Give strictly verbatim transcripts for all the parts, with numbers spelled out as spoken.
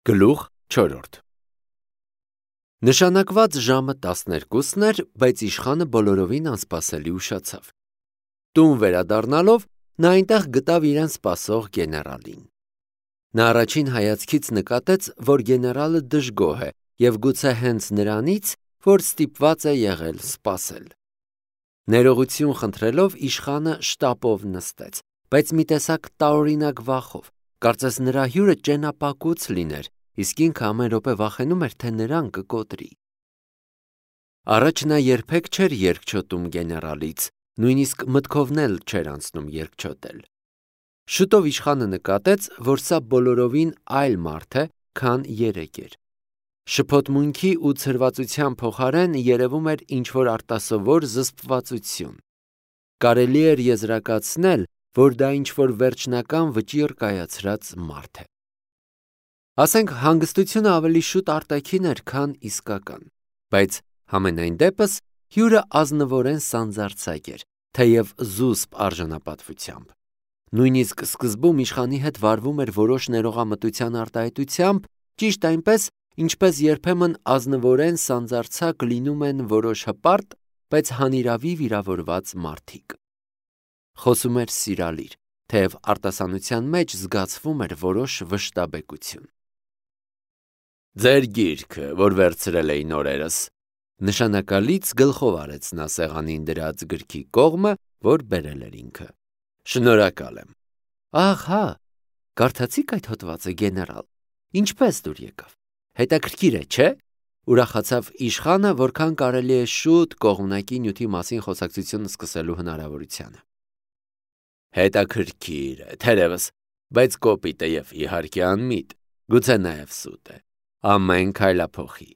Գլուխ չորրորդ Նշանակված ժամը տասներկուսն էր, բայց իշխանը բոլորովին անսպասելի ուշացավ։ Տուն վերադառնալով նա այնտեղ գտավ իրեն սպասող գեներալին։ Նա առաջին հայացքից նկատեց, որ գեներալը դժգոհ է և գուցե հենց նրանից, որ ստիպված է եղել սպասել։ Ներողություն խնդրելով իշխանը շտապով նստեց, բայց մի տեսակ տարօրինակ վախով, կարծես նրա հյուրը ճենապակուց լիներ, իսկ ինքը ամեն րոպե վախենում էր, թե նրան կկոտրի։ Առաջ նա երբեք չէր երկչոտում գեներալից, նույնիսկ մտքովն էլ չէր անցնում երկչոտել։ Շուտով իշխանը նկատեց, որ սա բոլորովին այլ մարդ է, քան երեկ էր։ Շփոթմունքի ու ցրվածության փոխարեն երևում էր ինչ-որ արտասովոր զսպվածություն։ Կարելի էր եզրակացնել, որ դա ինչ-որ վերջնական վճիռ կայացրած մարդ է։ Ասենք հանգստությունը ավելի շուտ արտաքին էր, քան իսկական, բայց համենայն դեպս հյուրը ազնվորեն սանձարձակ էր, թեև զուսպ արժանապատվությամբ։ Նույնիսկ սկզբում իշխանի հետ վարվում էր որոշ ներողամտության արտահայտությամբ, ճիշտ այնպես, ինչպես երբեմն ազնվորեն սանձարձակ լինում են որոշ հպարտ, բայց հանիրավի վիրավորված մարդիկ։ Խոսում էր սիրալիր, թեև արտասանության մեջ զգացվում էր որոշ վշտաբեկություն։ Ձեր գիրքը, որ վերցրել էի նորերս, նշանակալից գլխով արեց նա սեղանին դրած գրքի կողմը, որ բերել էր ինքը։ Շնորհակալ եմ։ Ահ, հա, կարդացիք այդ հոդվածը, գեներալ։ Ինչպես դուր եկավ։ Հետաքրքիր է, չէ՞։ Ուրախացավ իշխանը, որքան կարելի է շուտ կողմնակի նյութի մասին խոսակցություն սկսելու հնարավորությանը։ Հետաքրքիր է, թերևս, բայց կոպիտ է և իհարկե անմիտ, գուցե նաև սուտ է, ամեն քայլափոխի։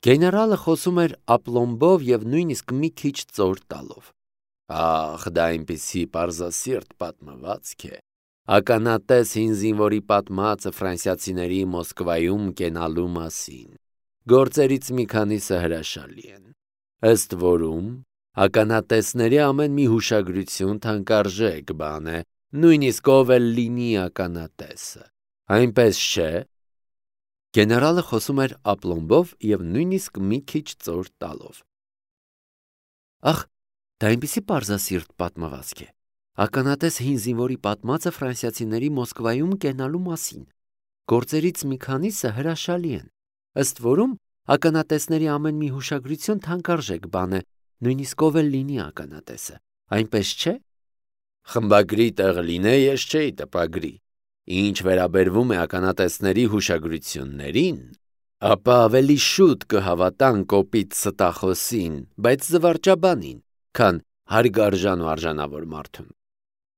Գեներալը խոսում էր ապլոմբով և նույնիսկ մի քիչ ծոր տալով։ Ախ, դա այնպիսի պարզասիրտ պատմվածք է։ Ականատես հին զինվորի պատմածը ֆրանսիացիների Մոսկվայում կենալու մասին։ Գործերից մի քանիսը հրաշալի են։ Ըստ որում, ականատեսների ամեն մի հուշագրություն թանկարժեք բան է, նույնիսկ ով էլ լինի ականատեսը։ Այնպես չէ։ Գեներալը խոսում էր ապլոմբով և նույնիսկ մի քիչ ծոր տալով։ Ախ, դա այնպիսի պարզասիրտ պատմվածք է։ Ականատես հին զինվորի պատմածը ֆրանսիացիների Մոսկվայում կենալու մասին։ Գործերից մի քանիսը հրաշալի են։ Ըստ որում, ականատեսների ամեն մի հուշագրություն թանկարժեք բան է, նույնիսկ ով էլ լինի ականատեսը։ Այնպես չէ։ Խմբագրի տեղ լինե, ես չէի տպագրի։ Ինչ վերաբերվում է ականատեսների հուշագրություններին, ապա ավելի շուտ կհավատան կոպիտ ստախոսին, բայց զվարճաբանին, քան հարգարժան ու արժանավոր մարդուն։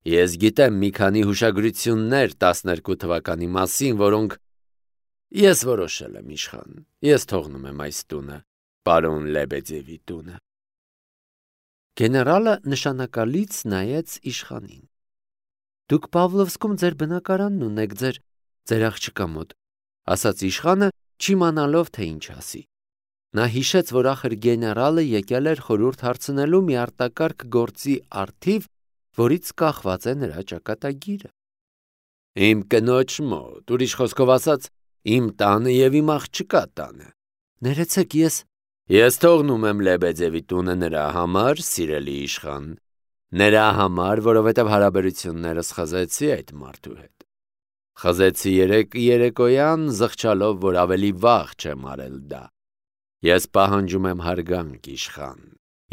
Ես գիտեմ մի քանի հուշագրություններ տասներկու թվականի մասին, որոնք ես որոշել եմ իշխան, ես թողնում եմ այս տունը, պարոն Լեբեդևի տունը։ Գեներալը նշանակալից նայեց իշխանին։ Դուք Պավլովսկում ձեր բնակարանն ունեք, ձեր ձեր աղջկա մոտ, ասաց իշխանը, չիմանալով թե ինչ ասի։ Նա հիշեց, որ ախր գեներալը եկել էր խորհուրդ հարցնելու մի արտակարգ գործի առթիվ, որից կախված է նրա ճակատագիրը։ Իմ կնոջ մոտ, ուրիշ խոսքով ասած, իմ տանը և իմ աղջկա տանը։ Ներեցեք, ես Ես թողնում եմ Լեբեդևի տունը նրա համար, սիրելի իշխան, նրա համար, որովհետև հարաբերություններս խզեցի այդ մարդու հետ։ Խզեցի երեկ երեկոյան, զղջալով, որ ավելի վաղ չեմ արել դա։ Ես պահանջում եմ հարգանք, իշխան,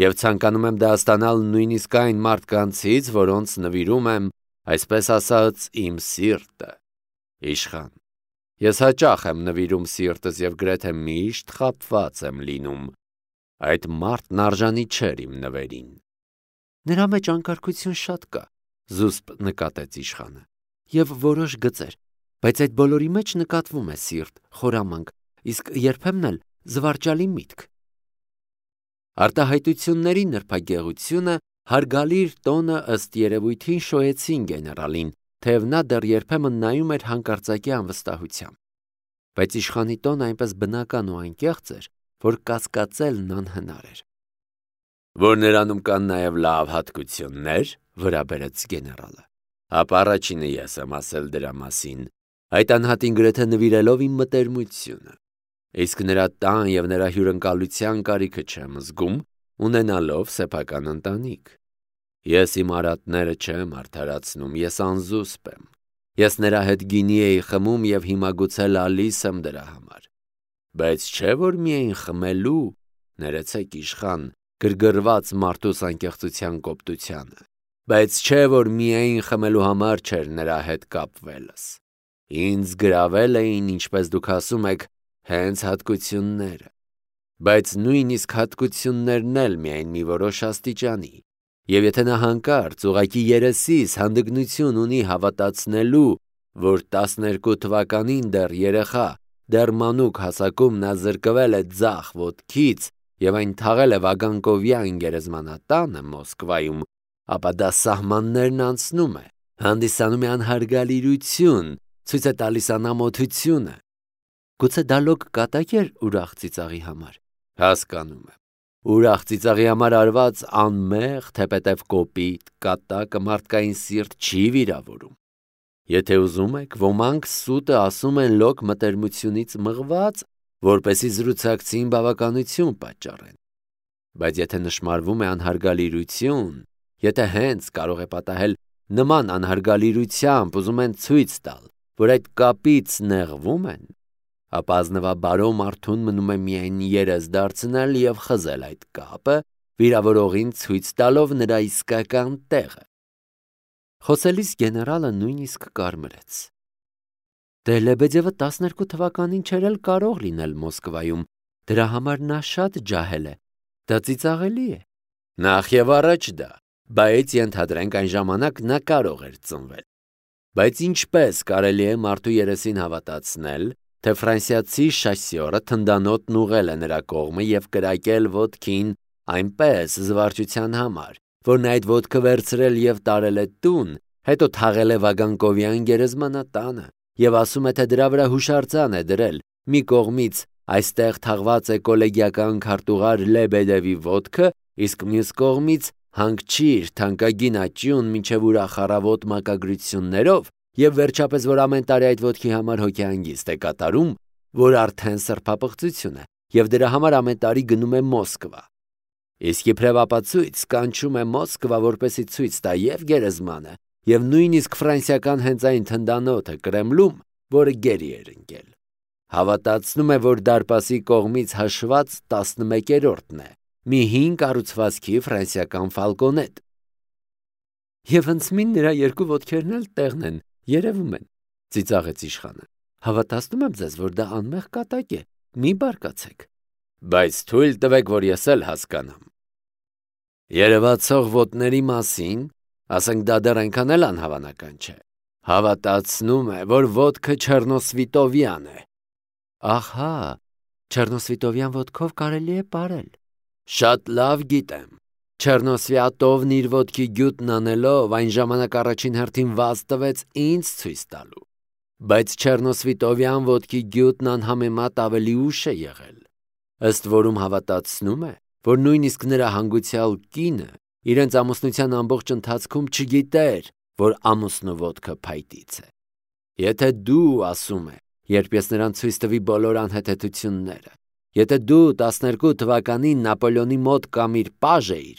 և ցանկանում եմ դա ստանալ նույնիսկ այն մարդկանցից, որոնց նվիրում եմ, այսպես ասած, իմ սիրտը։ Իշխան, ես հաճախ եմ նվիրում սիրտս և գրեթե միշտ խաբված եմ լինում։ Այդ մարդն արժանի չէր իմ նվերին։ Նրա մեջ անկարգություն շատ կա, զուսպ նկատեց իշխանը, և որոշ գծեր, բայց այդ բոլորի մեջ նկատվում է սիրտ, խորամանկ, իսկ երբեմն էլ զվարճալի միտք։ Արտահայտությունների նրբագեղությունը, հարգալիր տոնը ըստ երևույթին շոյեցին գեներալին, թեև նա դեռ երբեմն նայում էր հանկարծակի անվստահությամբ։ Բայց իշխանի տոնը այնպես բնական ու անկեղծ էր, որ կասկածելն անհնար էր։ Որ նրանում կան նաև լավ հատկություններ, վրա բերեց գեներալը, ապա առաջինը ես եմ ասել դրա մասին, այդ անհատին գրեթե նվիրելով իմ մտերմությունը, իսկ նրա տան և նրա հյուրընկալության կարիքը չեմ զգում, ունենալով սեփական ընտանիք։ Ես իմ արատները չեմ արդարացնում, ես անզուսպ եմ։ Ես նրա հետ գինի էի խմում և հիմա գուցե լալիս եմ դրա համար։ Բայց չէ՞ որ միայն խմելու, ներեցեք իշխան, գրգռված մարդուս անկեղծության կոպտությանը, բայց չէ՞ որ միայն խմելու համար չէր նրա հետ կապվելս։ Ինձ գրավել էին, ինչպես դուք ասում եք, հենց հատկությունները, բայց նույնիսկ հատկություններն էլ միայն մի որոշ աստիճանի, և եթե նա հանկարծ ուղղակի երեսիս հանդգնություն ունի հավատացնելու, որ տասներկու թվականին դեռ երեխա, դեռ մանուկ հասակում նա զրկվել է ձախ ոտքից և այն թաղել է Վագանկովյան գերեզմանատանը Մոսկվայում, ապա դա սահմաններն անցնում է, հանդիսանում է անհարգալիրություն, ցույց է տալիս անամոթությունը։ Գուցե դա լոկ կատակ էր ուրախ ծիծաղի համար։ Հասկանում եմ։ Ուրախ ծիծաղի համար արված անմեղ, թեպետև կոպիտ կատակը մարդկային սիրտ չի վիրավորում։ Եթե ուզում եք, ոմանք սուտը ասում են լոկ մտերմությունից մղված, որպեսզի զրուցակցին բավականություն պատճառեն։ Բայց եթե նշմարվում է անհարգալիրություն, եթե հենց կարող է պատահել նման անհարգալիրությամբ ուզում են ցույց տալ, որ այդ կապից նեղվում են, ապա ազնվաբարո մարդուն մնում է միայն երես դարձնել և խզել այդ կապը, վիրավորողին ցույց տալով նրա իսկական տեղը։ Խոսելիս գեներալը նույնիսկ կարմրեց։ Դե Լեբեդևը տասներկու թվականին չէր էլ կարող լինել Մոսկվայում, դրա համար նա շատ ջահել է, դա ծիծաղելի է։ Նախ և առաջ դա, բայց ենթադրենք այն ժամանակ նա կարող էր ծնվել։ Բայց ինչպես կարելի է մարդու երեսին հավատացնել, թե ֆրանսիացի շասյորը թնդանոթն ուղղել է նրա կողմը և կրակել ոտքին այնպես զվարճության համար, որ նա այդ ոտքը վերցրել և տարել է տուն, հետո թաղել է Վագանկովյան գերեզմանատանը և ասում է, թե դրա վրա հուշարձան է դրել, մի կողմից այստեղ թաղված է կոլեգիական քարտուղար Լեբեդևի ոտքը, իսկ մյուս կողմից հանգչիր թանկագին աճյուն մինչև ուրախ առավոտ մակագրություններով, և վերջապես, որ ամեն տարի այդ ոտքի համար հոգեհանգիստ է կատարում, որ արդեն սրբապղծություն է, և դրա համար ամեն տարի գնում է Մոսկվա։ Իսկ իբրև ապացույց կանչում է Մոսկվա, որպեսզի ցույց տա և գերեզմանը, և նույնիսկ ֆրանսիական հենց այն թնդանոթը Կրեմլում, որը գերի էր ընկել։ Հավատացնում է, որ դարպասի կողմից հաշված տասնմեկերորդն է, մի հին կառուցվածքի ֆրանսիական ֆալկոնետ։ Եվ հնձմին նրա երկու ոտքերն էլ տեղն են, երևում են, ծիծաղեց իշխանը։ Հավատացնում եմ ձեզ, որ դա անմեղ կատակ է, մի բարկացեք։ Բայց թույլ տվեք, որ ես էլ հասկանամ։ Երևացող ոտների մասին, ասենք դա դեռ այնքան էլ անհավանական չէ։ Հավատացնում է, որ ոտքը Չեռնոսվիտովյան է։ Ահա, Չեռնոսվիտովյան ոտքով կարելի է պարել։ Շատ լավ գիտեմ։ Չեռնոսվյատովն իր ոտքի գյուտն անելով այն ժամանակ առաջին հերթին վազ տվեց ինձ ցույց տալու։ Բայց Չեռնոսվիտովյան ոտքի գյուտն անհամեմատ ավելի ուշ է եղել, ըստ որում հավատացնում է, որ նույնիսկ նրա հանգուցյալ կինը իրենց ամուսնության ամբողջ ընթացքում չգիտեր, որ ամուսնու ոտքը փայտից է։ Եթե դու, ասում է, երբ ես նրան ցույց տվի բոլոր անհեթեթությունները, եթե դու տասներկու թվականին Նապոլեոնի մոտ կամ իր պաժ էիր,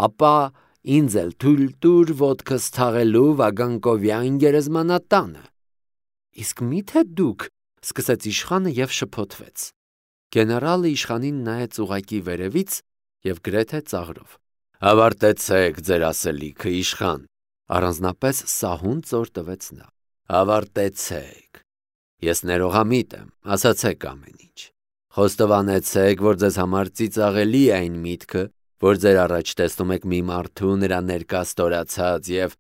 ապա ինձ էլ թույլ տուր ոտքս թաղելու Վագանկովյան գերեզմանատանը։ Իսկ մի՞թե դուք, սկսեց իշխանը և շփոթվեց։ Գեներալը իշխանին նայեց ուղղակի վերևից և գրեթե ծաղրով։ Ավարտեցեք ձեր ասելիքը, իշխան, առանձնապես սահուն ծոր տվեց նա։ Ավարտեցեք։ Ես ներողամիտ եմ, ասացեք ամեն ինչ։ Խոստովանեցեք, որ ձեզ համար ծիծաղելի է այն միտքը, որ ձեր առաջ տեսնում եք մի մարդու նրա ներկա ստորացած և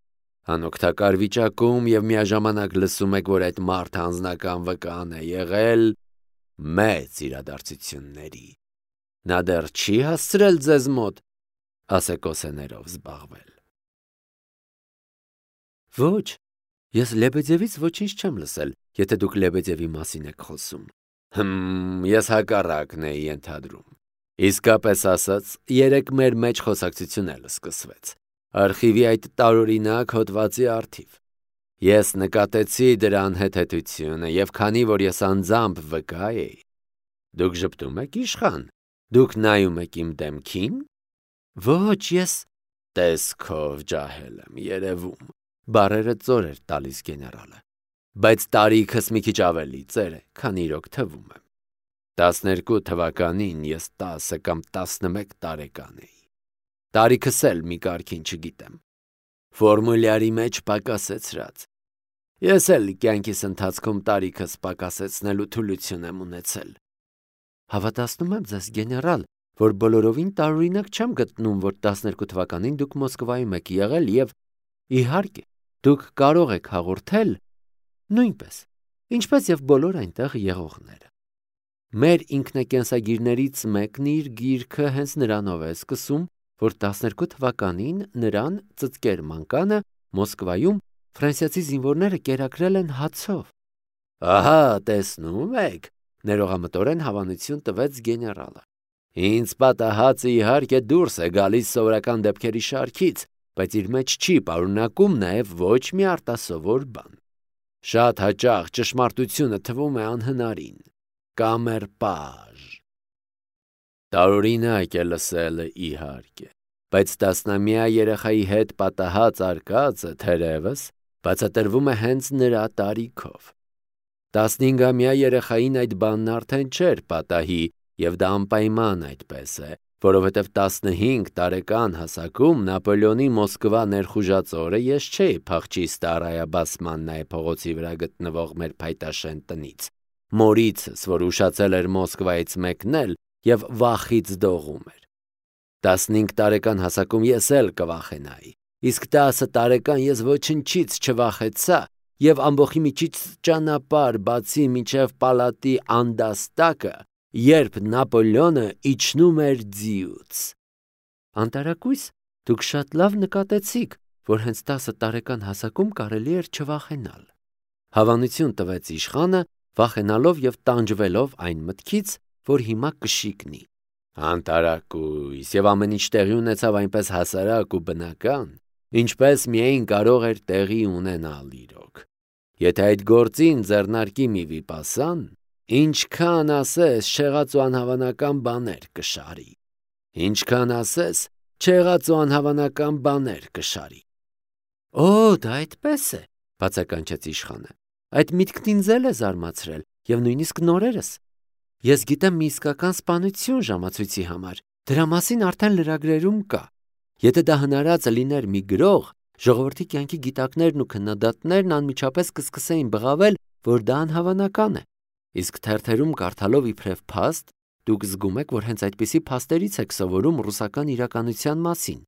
անօգտակար վիճակում և միաժամանակ լսում եք, որ այդ մարդը անձնական վկան է եղել մեծ իրադարձությունների։ Նա դեռ չի հասցրել ձեզ մոտ ասեկոսեներով զբաղվել։ Ոչ, ես Լեբեդևից ոչինչ չեմ լսել, եթե դուք Լեբեդևի մասին եք խոսում։ Հմ, ես հակառակն էի ենթադրում։ Իսկապես ասած, երեկ մեր մեջ խոսակցություն էլ սկսվեց։ Արխիվի այդ տարօրինակ հոդվածի առթիվ։ Ես նկատեցի դրան հետեթությունը և քանի որ ես անձամբ վկա էի, դուք ժպտում եք իշխան, դուք նայում եք իմ դեմքին, ոչ ես տեսքով ջահել եմ երևում, բառերը ծոր էր տալիս գեներալը, բայց տարիքս մի քիչ ավելի ծեր է, քան իրոք թվում եմ, տասներկու թվականին ես տասը կամ տասնմեկ տարեկան էի, տարիքս էլ մի կարգին չգիտեմ, ֆորմուլյարի մեջ պակասեցրած, ես էլ կյանքիս ընթացքում տարիքս պակասեցնելու թուլություն եմ ունեցել, հավատացնում եմ ձեզ գեներալ, որ բոլորովին տարօրինակ չեմ գտնում, որ տասներկու թվականին դուք Մոսկվայում եք եղել և, իհարկե, դուք կարող եք հաղորդել նույնպես, ինչպես և բոլոր այնտեղ եղողները։ Մեր ինքնակենսագիրներից մեկն իր գիրքը հենց նրանով է սկսում, որ տասներկու թվականին նրան ծծկեր մանկանը Մոսկվայում ֆրանսիացի զինվորները կերակրել են հացով։ Ահա, տեսնում եք, ներողամտորեն հավանություն տվեց գեներալը։ Ինձ պատահածը իհարկե դուրս է գալիս սովորական դեպքերի շարքից, բայց իր մեջ չի պարունակում նաև ոչ մի արտասովոր բան։ Շատ հաճախ ճշմարտությունը թվում է անհնարին, կամերպաժ։ Տարօրինակ է լսելը իհարկե, բայց տասնամյա երեխայի հետ պատահած արկածը թերևս բացատրվում է հենց նրա տարիքով։ Տասնհինգամյա երեխային այդ բանն արդեն չէր պատահի, և դա անպայման այդպես է, որովհետև տասնհինգ տարեկան հասակում Նապոլեոնի Մոսկվա ներխուժածորը ես չէի փախչի Ստարայա Բասմաննայե փողոցի վրա գտնվող մեր փայտաշեն տնից, մորիցս, որ ուշացել էր Մոսկվայից մեկնել և վախից դողում էր։ Տասնհինգ տարեկան հասակում ես էլ կվախենայի, իսկ տասը տարեկան ես ոչնչից չվախեցա և ամբոխի միջից ճանապարհ բացի մինչև պալատի անդաստակը, երբ Նապոլեոնը իջնում էր ձիուց։ Անտարակույս, դուք շատ լավ նկատեցիք, որ հենց տասը տարեկան հասակում կարելի էր չվախենալ։ Հավանություն տվեց իշխանը, վախենալով և տանջվելով այն մտքից, որ հիմա կշիկնի։ Անտարակույս, և ամեն ինչ տեղի ունեցավ այնպես հասարակ ու բնական, ինչպես միայն կարող էր տեղի ունենալ իրոք։ Եթե այդ գործին ձեռնարկի մի վիպասան, ինչքան ասես չեղած ու անհավանական բաներ կշարի, ինչքան ասես չեղած ու անհավանական բաներ կշարի։ Օ, դա այդպես է, բացականչեց իշխանը, այդ միտքն ինձ էլ է զարմացրել և նույնիսկ նորերս։ Ես գիտեմ մի իսկական սպանություն ժամացույցի համար, դրա մասին արդեն լրագրերում կա։ Եթե դա հնարածը լիներ մի գրող, ժողովրդի կյանքի գիտակներն ու քննադատներն անմիջապես կսկսեին բղավել, որ դա անհավանական է։ Իսկ թերթերում կարդալով իբրև փաստ, դուք զգում եք, որ հենց այդպիսի փաստերից եք սովորում ռուսական իրականության մասին։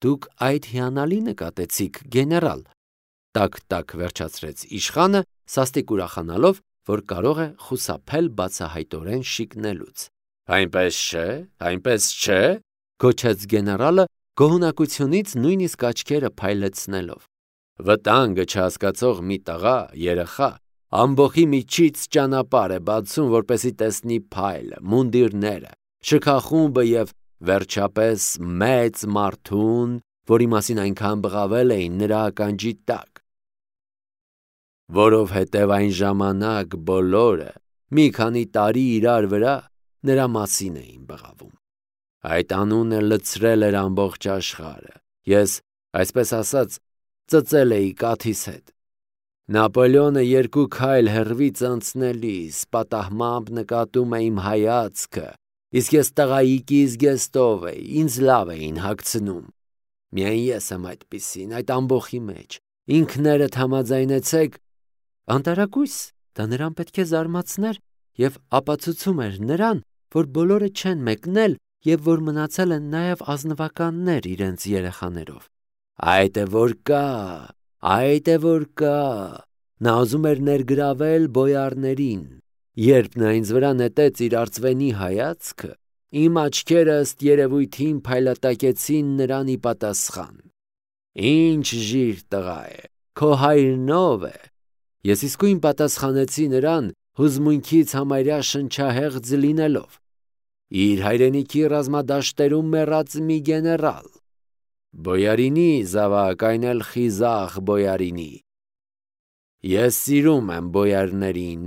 Դուք այդ հիանալի նկատեցիք, գեներալ, տակ-տակ վերջացրեց իշխանը, սաստիկ ուրախանալով, որ կարող է խուսափել բացահայտորեն շիկնելուց։ Այնպես չէ, այնպես չէ, գոչեց գեներալը, գոհունակությունից նույնիսկ աչքերը փայլեցնելով։ Վտանգը չհասկացող մի տղա, երեխա, ամբոխի միջից ճանապարհ է բացում, որպեսզի տեսնի փայլը, մունդիրները, շքախումբը և վերջապես մեծ մարդուն, որի մասին այնքան բղավել էին նրա ականջի տակ։ Որովհետև այն ժամանակ բոլորը մի քանի տարի իրար վրա նրա մասին էին բղավում։ Այդ անունը լցրել էր ամբողջ աշխարհը, ես, այսպես ասած, ծծել էի կաթիս հետ։ Նապոլեոնը երկու քայլ հեռվից անցնելիս պատահմամբ նկատում է իմ հայացքը, իսկ ես տղայիկի զգեստով էի, ինձ լավ էին հագցնում։ Միայն ես եմ այդպիսին, այդ ամբոխի մեջ, ինքներդ համաձայնեցեք։ Անտարակույս, դա նրան պետք է զարմացներ և ապացուցում էր նրան, որ բոլորը չեն մեկնել և որ մնացել են նաև ազնվականներ իրենց երեխաներով։ Այդ է որ կա, այդ է որ կա, նա ուզում էր ներգրավել բոյարներին, երբ նա ինձ վրա նետեց իր արծվենի հայացքը, իմ աչքերը ըստ երևույթին փայլատակեցին նրան ի պատասխան։ Ինչ ժիր տղա է, քո հայրն ով է։ Ես իսկույն պատասխանեցի նրան հուզմունքից համարյա շնչահեղձ լինելով։ Իր հայրենիքի ռազմադաշտերում մեռած մի գեներալ։ Բոյարինի զավակ, այն էլ խիզախ բոյարինի։ Ես սիրում եմ բոյարներին։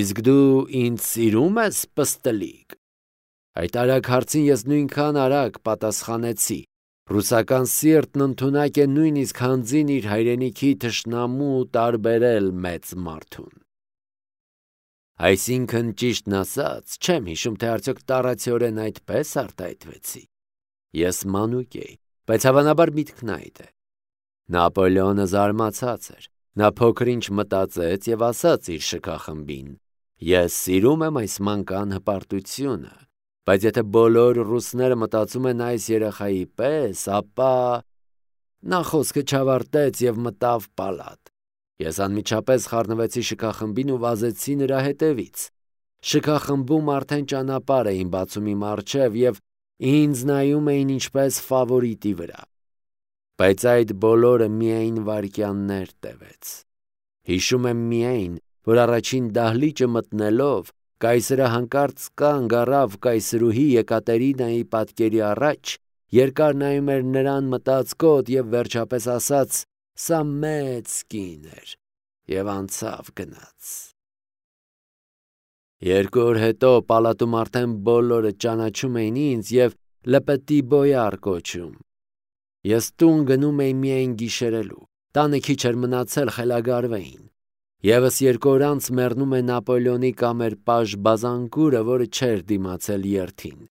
Իսկ դու ինձ սիրում ես, պստլիկ։ Այդ արագ հարցին ես նույնքան արագ պատասխանեցի։ Ռուսական սիրտն ընդունակ է նույնիսկ հանձին իր հայրենիքի թշնամու տարբերել մեծ մարդուն։ Այսինքն ճիշտն ասած, չեմ հիշում, թե արդյոք տառացիորեն այդպես արտահայտվեցի։ Ես մանուկ էի, բայց հավանաբար միտքն այդ է։ Նապոլեոնը զարմացած էր։ Նա փոքր-ինչ մտածեց եւ ասաց իր շքախմբին. Ես սիրում եմ այս մանկան հպարտությունը, բայց եթե բոլոր ռուսները մտածում են այս երեխայի պես, ապա… Նա խոսքը չավարտեց եւ մտավ պալատ։ Ես անմիջապես խառնվեցի շքախմբին ու վազեցի նրա հետևից։ Շքախմբում արդեն ճանապարհ էին բացում իմ առջև եւ ինձ նայում էին ինչպես ֆավորիտի վրա։ Բայց այդ բոլորը միայն վայրկյաններ տևեց։ Հիշում եմ միայն, որ առաջին դահլիճը մտնելով կայսրը հանկարծ կանգ առավ կայսրուհի Եկատերինայի պատկերի առաջ, երկար նայում էր նրան մտածկոտ եւ վերջապես ասաց. «Սա մեծ կին էր» եւ անցավ գնաց։ Երկու օր հետո պալատում արդեն բոլորը ճանաչում էին ինձ եւ լպտի բոյար կոչում։ Ես տուն գնում էի միայն գիշերելու։ Տանը քիչ էր մնացել խելագարվեին։ Եվս երկու օր անց մեռնում է Նապոլեոնի կամեր-պաժ Բազանկուրը, որը չէր դիմացել երթին։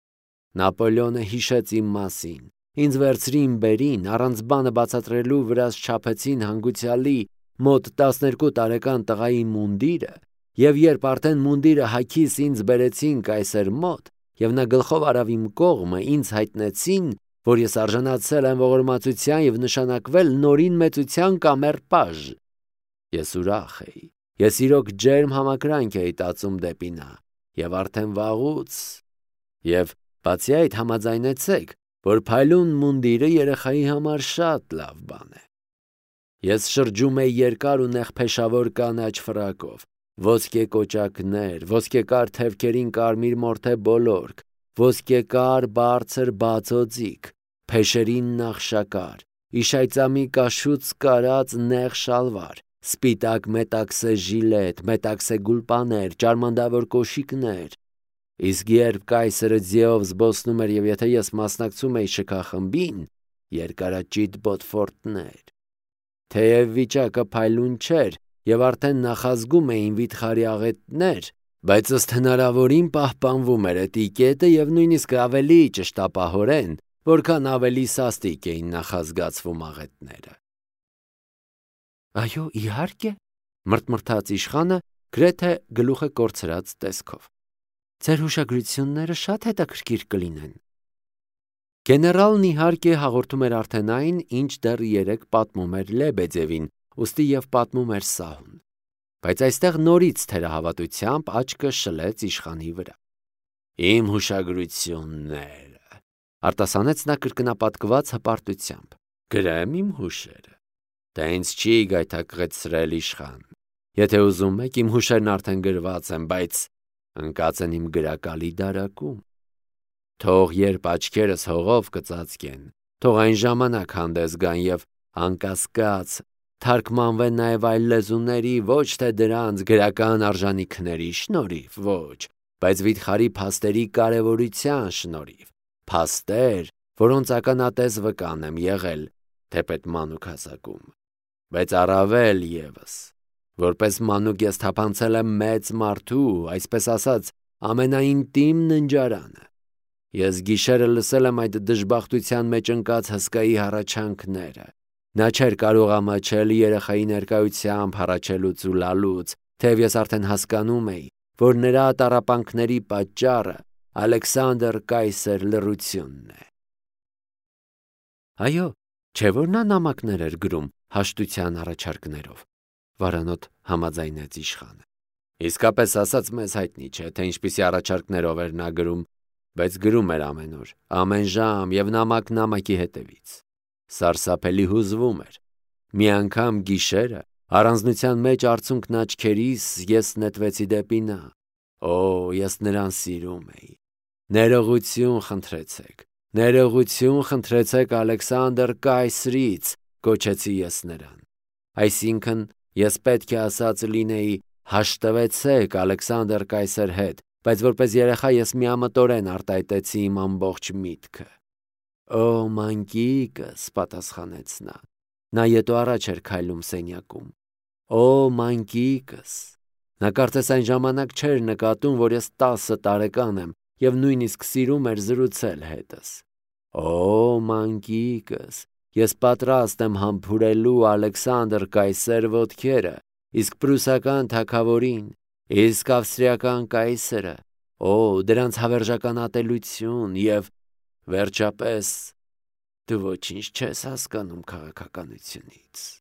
Նապոլեոնը հիշեց իմ մասին։ Ինձ վերցրին բերին, առանց բանը բացատրելու վրաս չափեցին հանգուցյալի մոտ տասներկու տարեկան տղայի մունդիրը, եւ երբ արդեն մունդիրը հագիս ինձ բերեցին կայսեր մոտ, եւ նա գլխով արավ իմ կողմը, ինձ հայտնեցին, որ ես արժանացել եմ ողորմածության եւ նշանակվել նորին մեծության կամեր-պաժ։ Ես ուրախ էի։ Ես իրոք ջերմ համակրանք էի տածում դեպի նա, եւ արդեն վաղուց, եւ բացի այդ համաձայնեցեք, որ փայլուն մունդիրը երեխայի համար շատ լավ բան է։ Ես շրջում էի երկար ու նեղփեշավոր կանաչ ֆրակով, ոսկե կոճակներ, ոսկեկար թևքերին կարմիր մորթե բոլորք, ոսկեկար բարձր բացօձիկ, փեշերին նախշակար, իշայծամի կաշուց կարած նեղ շալվար, սպիտակ մետաքսե ժիլետ, մետաքսե գուլպաներ, ճարմանդավոր կոշիկներ։ Իսկ երբ կայսրը ձիով զբոսնում էր եւ եթե ես մասնակցում էի շքախմբին, երկարաճիտ բոտֆորտներ։ Թեև վիճակը փայլուն չէր եւ արդեն նախազգում էին վիթխարի աղետներ, բայց ըստ հնարավորին պահպանվում էր էտիկետը եւ նույնիսկ ավելի ճշտապահորեն, որքան ավելի սաստիկ էին նախազգացվում աղետները։ Այո, իհարկե, մրթմրթաց իշխանը գրեթե գլուխը կորցրած տեսքով։ Ձեր հուշագրությունները շատ հետաքրքիր կլինեն։ Գեներալն իհարկե հաղորդում էր արդեն այն, ինչ դեռ երեք պատմում էր Լեբեդևին, ուստի եւ պատմում էր սահուն։ Բայց այստեղ նորից թերահավատությամբ աչքը շլեց իշխանի վրա։ Իմ հուշագրությունները, արտասանեց նա կրկնապատկված հպարտությամբ։ Գրեմ իմ հուշերը։ Դա ինձ չի գայթակղեցրել իշխան։ Եթե ուզում եք, իմ հուշերն արդեն գրված են, բայց ընկած են իմ գրակալի դարակում։ Թող երբ աչքերս հողով կծածկեն, թող այն ժամանակ հանդես գան եւ անկասկած թարգմանվեն նաեւ այլ լեզուների, ոչ թե դրանց գրական արժանիքների շնորհիվ, ոչ, բայց վիթխարի փաստերի կարևորության շնորհիվ, փաստեր, որոնց ականատես վկան եմ եղել թեպետ մանուկ հասակում, բայց առավել եւս, որպես մանուկ ես թափանցել եմ մեծ մարդու, այսպես ասած, ամենաինտիմ ննջարանը։ Ես գիշերը լսել եմ այդ դժբախտության մեջ ընկած հսկայի հառաչանքները։ Նա չէր կարող ամաչել երեխայի ներկայությամբ հառաչելուց ու լալուց, թեև ես արդեն հասկանում էի, որ նրա տառապանքների պատճառը Ալեքսանդր կայսեր լռությունն է։ Այո, չէ՞ որ նա նամակներ էր գրում հաշտության առաջարկներով, վարանոտ համաձայնեց իշխանը։ Իսկապես ասած մեզ հայտնի չէ, թե ինչպիսի առաջարկներով էր նա գրում, բայց գրում էր ամեն օր, ամեն ժամ եւ նամակ նամակի հետևից։ Սարսափելի հուզվում էր։ Մի անգամ գիշերը առանձնության մեջ արցունքն աչքերիս ես նետվեցի դեպի նա։ Օ, ես նրան սիրում էի։ Ներողություն խնդրեցեք, ներողություն խնդրեցեք Ալեքսանդր կայսրից, կոչեցի ես նրան։ Այսինքն Ես պետք է ասած լինեի հաշտվեցեք Ալեքսանդր կայսեր հետ, բայց որպես երեխա ես միամտորեն արտահայտեցի իմ ամբողջ միտքը։ Օ, մանկիկս, պատասխանեց նա։ Նա ետո առաջ էր քայլում սենյակում։ Օ, մանկիկս։ Նա կարծես այն ժամանակ չէր նկատում, որ ես տասը տարեկան եմ և նույնիսկ սիրում էր զրուցել հետս։ Օ, մանկիկս, ես պատրաստ եմ համբուրելու Ալեքսանդր կայսեր ոտքերը, իսկ պրուսական թագավորին, իսկ ավստրիական կայսրը, օ, դրանց հավերժական ատելություն և, վերջապես, դու ոչինչ չես հասկանում քաղաքականությունից։